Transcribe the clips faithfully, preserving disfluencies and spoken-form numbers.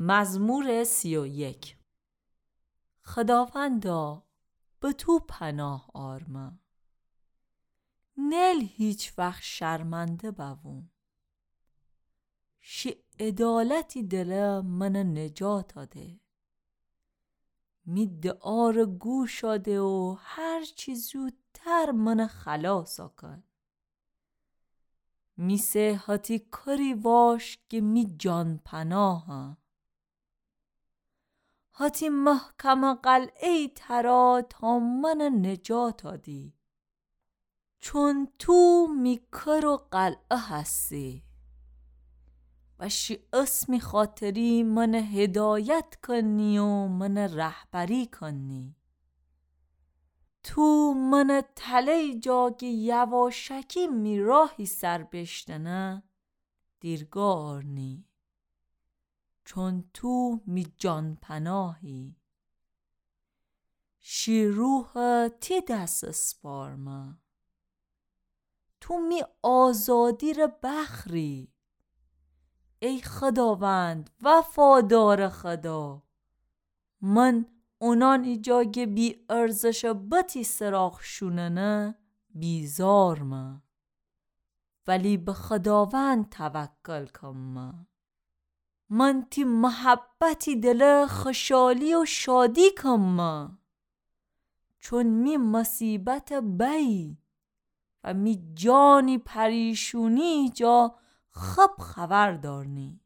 مزمور سی و یک. خداوندا، به تو پناه آرمه. نیل هیچ وخت شرمنده بووم. شی عدالتی دله منه نجاتا ده. می دعاره گوشا ده و هرچی زودتر منه خلاصا کن. می سه هتی کری واش که می جان پناهه. هتی محکمه قلعه‌ای ترا تا منه نجاتا دی. چون تو می کر و قلعه هستی و شی اسمی خاطری منه هدایت کنی و منه رهبری کنی. تو منه تله‌یی جا که یواشکی می راهی سر بشتنه دیرگاه آرنی. چون تو می جان پناهی. شی روحه تی دس اسپارمه. تو می آزادیره بخری. ای خداوند، وفادار خدا، من اونانی جا که بی ارزشه بتی سراغ شوننه بیزارمه. ولی به خداوند توکل کمه. من تی محبتی دله خشالی و شادی کمه. چون می مصیبت بئی و می جانی پریشونی جا خب خبر دارنی.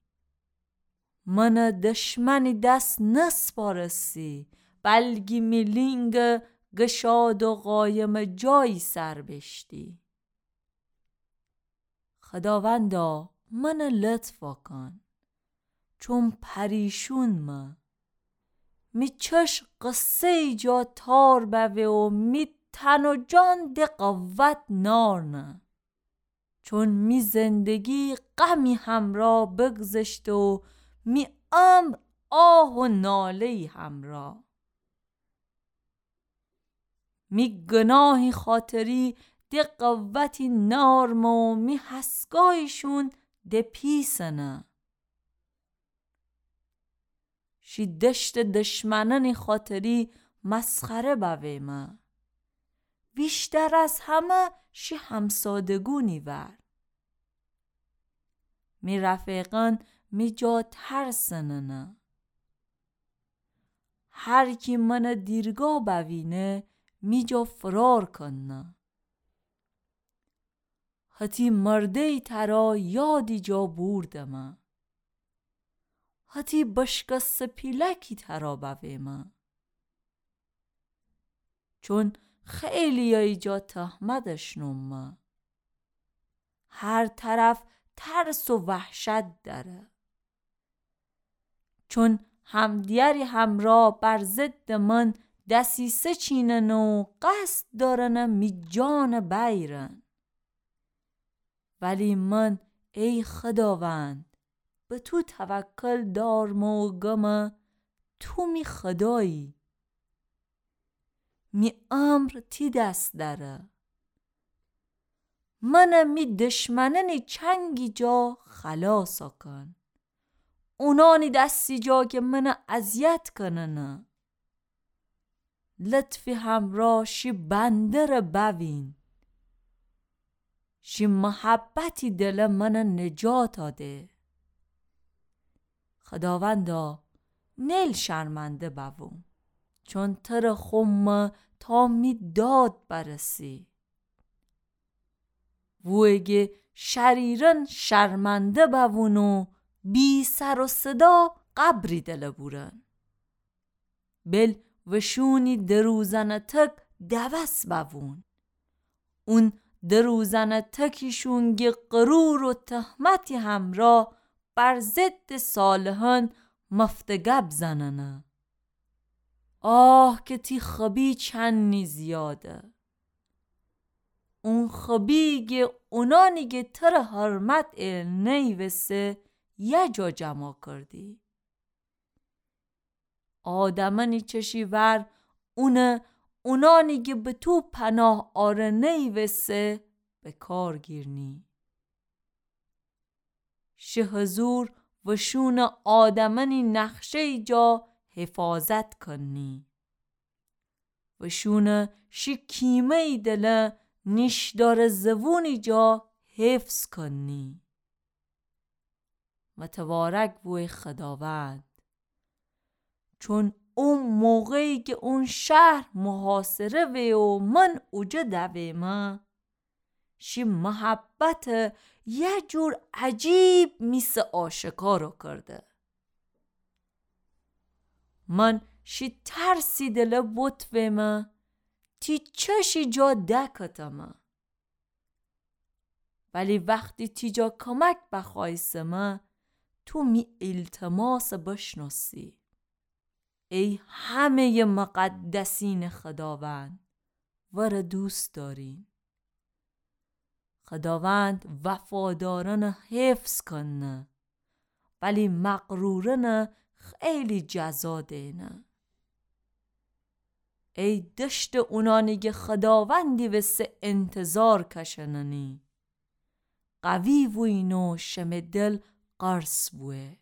منه دشمنی دس نسپارستی، بلکی می لینگ گشاد و قایم جایی سر بشتی. خداوندا، منه لطفا کن، چون پریشونمه. می چشم قصه‌یی جا تار بوه و می تن و جان ده قوت نارنه. چون می زندگی غمی همرا بگذشته و می عمر آه و ناله‌یی همرا. می گناهی خاطری ده قوتی نارمه و می هسگاییشون ده پیسنه. شی دشت دشمنانی خاطری مسخره بویمه. ویشتر از همه شی همسادگونی ور. می رفیقان می جا ترسننه. هر کی منه دیرگاه بوینه، می جا فرار کننه. هتی مرده‌یی ترا یادی جا بوردمه. هتی بشکسته پیلکی ترا بویمه. چون خیلی‌یایی جا تهمت اشنومه. هر طرف ترس و وحشت دره. چون همدیگری همرا بر ضد من دسیسه چیننه و قصد دارنه می جان بیرن. ولی من، ای خداوند، به تو توکل دارمه و گمه تو می خدایی. می امر تی دس دره. منه می دشمنانی چنگی جا خلاصا کن. اونانی دسی جا که منه اذیت کننه. لطفی همرا شی بنده‌ره بوین. شی محبتی دله منه نجاتا ده. خداوندا، نیل شرمنده بووم، چون تره خومه تا می داد برسی. وویگه شریرن شرمنده بوون و بی سر و صدا قبری دله بورن. بل وشونی دروزنه تک دوس بوون. اون دروزنه تکیشون گه غرور و تهمتی همرا بر ضد صالحان مفته گب زننه. آه که تی خبی چنی زیاده. اون خبی گه اونانی گه تره حرمت ایل نیوسه یه جا جما کردی. آدمانی چشی ور اونه اونانی گه به تو پناه آره نیوسه به کار گیرنی. شی حضور و شونٚ آدمأنی نقشه‌یی جا حفاظت کنی و شونٚ شی کیمه‌یی دله نیشدارٚ زبونی جا حفظ کنی. متوارک بو ای خداوند، چون او موقعی کی اون شهر محاصره وه و من اوجه دویمه، شی محبته یه جور عجیب می سه آشکار کرده. من شی ترسی دله بوت ویمه، تی چشی جا دکتمه. ولی وختی تی جا کمک بخوایسمه، تو می ایلتماسه بشنوسی. ای همه‌یٚ مقدسینٚ خداوند، وره دوست داریم. خداوند وفادارأنه حفظ کنه، ولی مغرورأنه خیلی جزا دینه. ای دشتٚ اونأنی کی خداوندی وسه انتظار کشننی، قوی بویین و شمه دل قرص بوه.